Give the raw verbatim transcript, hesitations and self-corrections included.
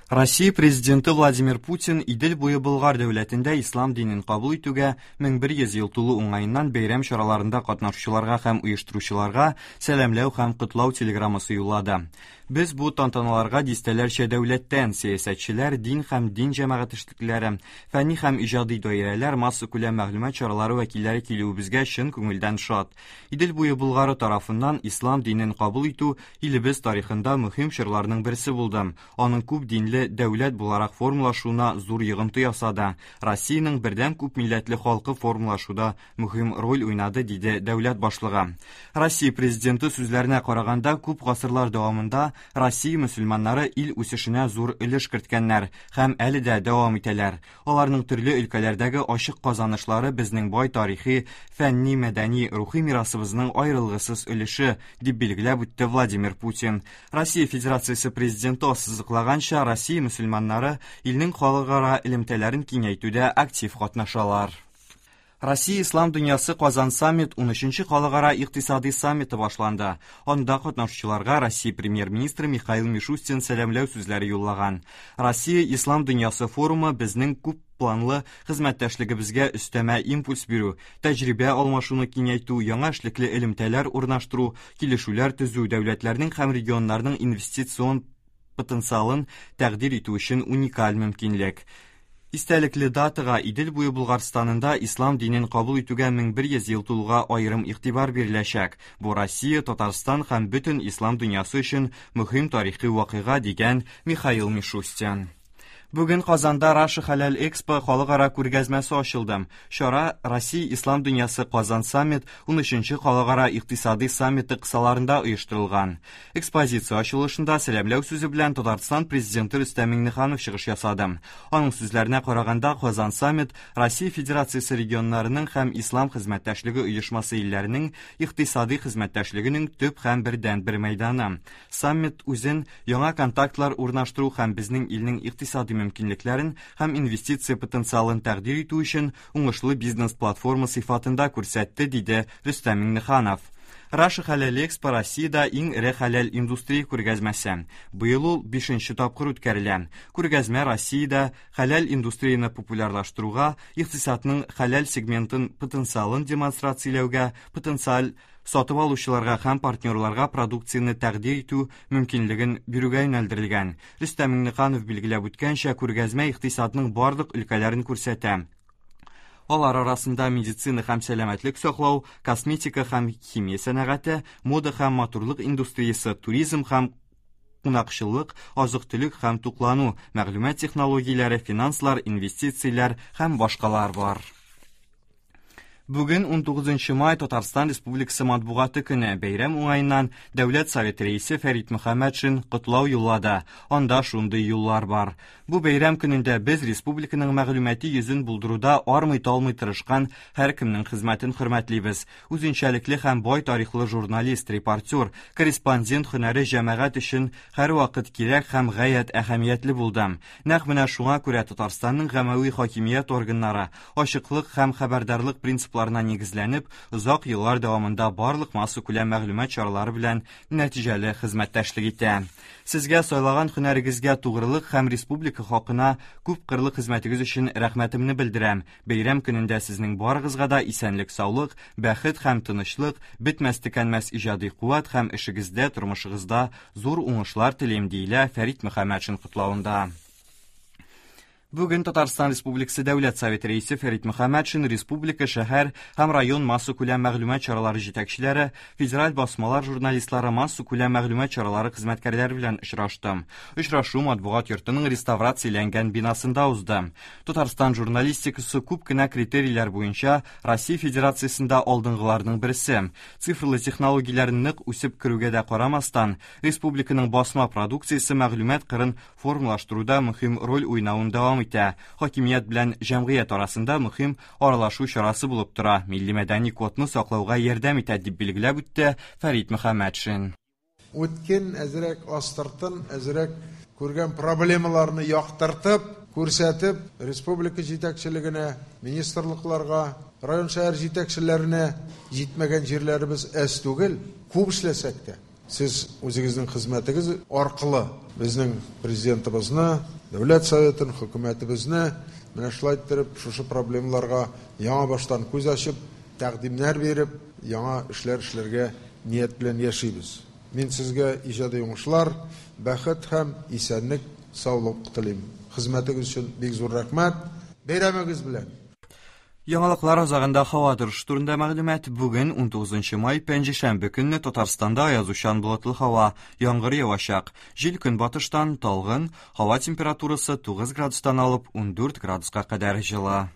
Россия президенты Владимир Путин Идел буе Болгар дәүләтендә ислам динен кабул итүгә мең бер йөз ел тулу уңаеннан бәйрәм чараларында катнашучыларга һәм оештыручыларга сәламләү һәм котлау телеграммасы юллады. Без бу тантаналарга дистәләрчә дәүләттән сәясәтчеләр, дин һәм дин җәмәгать эшлеклеләре, фәнни һәм иҗади даирәләр, массакүләм мәгълүмат чаралары вәкилләре килүебезгә чын күңелдән шат. Идел буе Болгары тарафыннан ислам динен кабул итү илебез тарихында мөһим чорларның берсе булды. Аның күп динле дәүләт буларак формалашуына зур йогынты ясады. Россиянең бердәм күп милләтле халкы формалашуда мөһим роль уйнады, диде дәүләт башлыгы. Россия президенты сүзләренә караганда, күп гасырлар дәвамында Россия мөселманнары ил үсешенә зур өлеш керткәннәр һәм әле дә дәвам итәләр. Аларның төрле өлкәләрдәге ачык казанышлары безнең бай тарихи, фәнни, мәдәни, рухи мирасыбызның аерылгысыз өлеше, дип билгеләп үтте Владимир Путин. Россия Федерациясе президенты ассызыклаганча, Россия мөселманнары илнең халыкара элемтәләрен киңәйтүдә актив катнашалар. Россия Ислам дөньясы Казан саммит ун өченче халыкара икътисади саммиты башланды. Анда катнашучыларга Россия премьер-министры Михаил Мишустин сәламләү сүзләре юллаган. Россия Ислам дөньясы форумы безнең күп планлы хезмәттәшлегебезгә өстәмә импульс бирү, тәҗрибә алмашуны киңәйтү, яңа эшлекле элемтәләр урнаштыру, килешүләр төзү, дәүләтләрнең һәм регионнарның инвестицион потенциалын тәкъдир итү өчен уникаль мөмкинлек. Истәлекле датага Идел буе Булгарстанында ислам динен кабул итүгә мең бер йөз ел тулуга аерым игътибар биреләчәк. Бу Россия, Татарстан һәм бөтен ислам дөньясы өчен мөһим тарихи вакыйга, дигән Михаил Мишустин. Бүген Казанда Раша Халал Экспо халыкара күргәзмәсе ачылды. Чара Россия Ислам дөньясы Казан саммит ун өченче халыкара икътисади саммиты кысаларында оештырылган. Экспозиция ачылышында сәламләү сүзе белән Татарстан президенты Рөстәм Миңнеханов чыгыш ясады. Аның сүзләренә караганда, Казан саммит Россия Федерациясе регионнарының һәм Ислам хезмәттәшлеге оешмасы илләренең икътисади хезмәттәшлегенең төп һәм бердәнбер мәйданы. Саммит үзен яңа контактлар урнаштыру һәм безнең илнең икътисади мөмкинлекләрен һәм инвестиция потенциалын тәкъдир итү өчен уңышлы бизнес-платформа сыйфатында күрсәтте, диде Рөстәм Миңнеханов. Раша Халал Экспо Россиядә иң эре хәләл индустрия күргәзмәсе. Быел ул бишенче тапкыр үткәрелә. Күргәзмә Россиядә хәләл индустрияне популярлаштыруга, икътисадның хәләл сегментын потенциалын демонстрацияләүгә, потенциаль сатып алучыларга һәм партнерларга продукцияне тәкъдир итү мөмкинлеген бирүгә юнәлдерелгән. Рөстәм Миңнеханов билгеләп үткәнчә, күргәзмә икътисадның барлык өлкәләрен күрсәтә. Алар арасында медицина һәм сәламәтлек саклау, косметика һәм химия сәнәгате, мода һәм матурлык индустриясе, туризм һәм кунакчыллык, азык-төлек һәм туклану, мәгълүмат технологияләре, финанслар, инвестицияләр һәм башкалар бар. Бүген ун тугызынчы май Татарстан Республикасы матбугаты көне. Бәйрәм уңаеннан Дәүләт Советы рәисе Фәрит Мөхәммәтшин котлау юллады. Анда шундый юллар бар. Бу бәйрәм көнендә без республиканың мәгълүмати йөзен булдыруда армый-талмый тырышкан һәркемнең хезмәтен хөрмәтлибез. Үзенчәлекле һәм бай тарихлы журналист, репортер, корреспондент һөнәре җәмәгать өчен һәрвакыт кирәк һәм гаять әһәмиятле булды. Нәкъ менә шуңа күрә Татарстанның гамәви хакимият органнары ачыклык һәм хәбәрдарлык принципларына нигезләнеп, озак еллар дәвамында барлык массакүләм мәгълүмат чаралары белән нәтиҗәле хезмәттәшлек итә. Сезгә сайлаган һөнәрегезгә тугрылык һәм республика халкына күп кырлы хезмәтегез өчен рәхмәтемне белдерәм. Бәйрәм көнендә сезнең барыгызга да исәнлек, саулык, бәхет һәм тынычлык, бетмәс төкәнмәс иҗади куәт һәм эшегездә, тормышыгызда зур уңышлар телим, диелә Фәрит Мөхәммәтшин котлавында. Бүген Татарстан Республикасы Дәүләт Советы рәисе Фәрит Мөхәммәтшин республика, шәһәр һәм район массакүләм мәгълүмат чаралары җитәкчеләре, федераль басмалар журналистлары, массакүләм мәгълүмат чаралары хезмәткәрләре белән очрашты. Очрашу матбугат йортының реставрацияләнгән бинасында узды. Татарстан журналистикасы күп кенә критерийлар буенча Россия Федерациясендә алдынгыларның берсе. Цифрлы технологияләр нык үсеп керүгә дә карамастан, республиканың басма продукциясе мәгълүмат кырын формалаштыруда мөһим роль уйнавын дәвам итә. Хакимият белән җәмгыять арасында мөһим аралашу чарасы булып тора. Милли мәдәни кодны саклауга ярдәм итә, дип билгеләп үтте Фәрит Мөхәммәтшин. Үткен әзрәк астыртын, әзрәк күргән проблемаларны яктыртып, күрсәтеп, республика җитәкчелегенә, министрлыкларга, район шәһәр җитәкчеләренә җитмәгән җирләребез әз түгел, күп эшләсәк тә. Сез үзегезнең хезмәтегез аркылы безнең президентыбызны, Дәүләт Советын, хөкүмәтебезне менә шулай иттереп шушы проблемаларга яңа баштан күз ачып, тәкъдимнәр биреп, яңа эшләр эшләргә ният белән яшибез. Мин сезгә иҗади уңышлар, бәхет һәм исәнлек, саулык телим. Хезмәтегез өчен бик зур рәхмәт. Бәйрәмегез белән! Яңалыклар азагында һава торышы турында мәгълүмат. Бүген унтугызынчы май, пәнҗешәмбе көнне Татарстанда аязучан болытлы һава, яңгыр явачак. Җил көнбатыштан талгын, һава температурасы тугыз градустан алып ундүрт градуска кадәр җылы.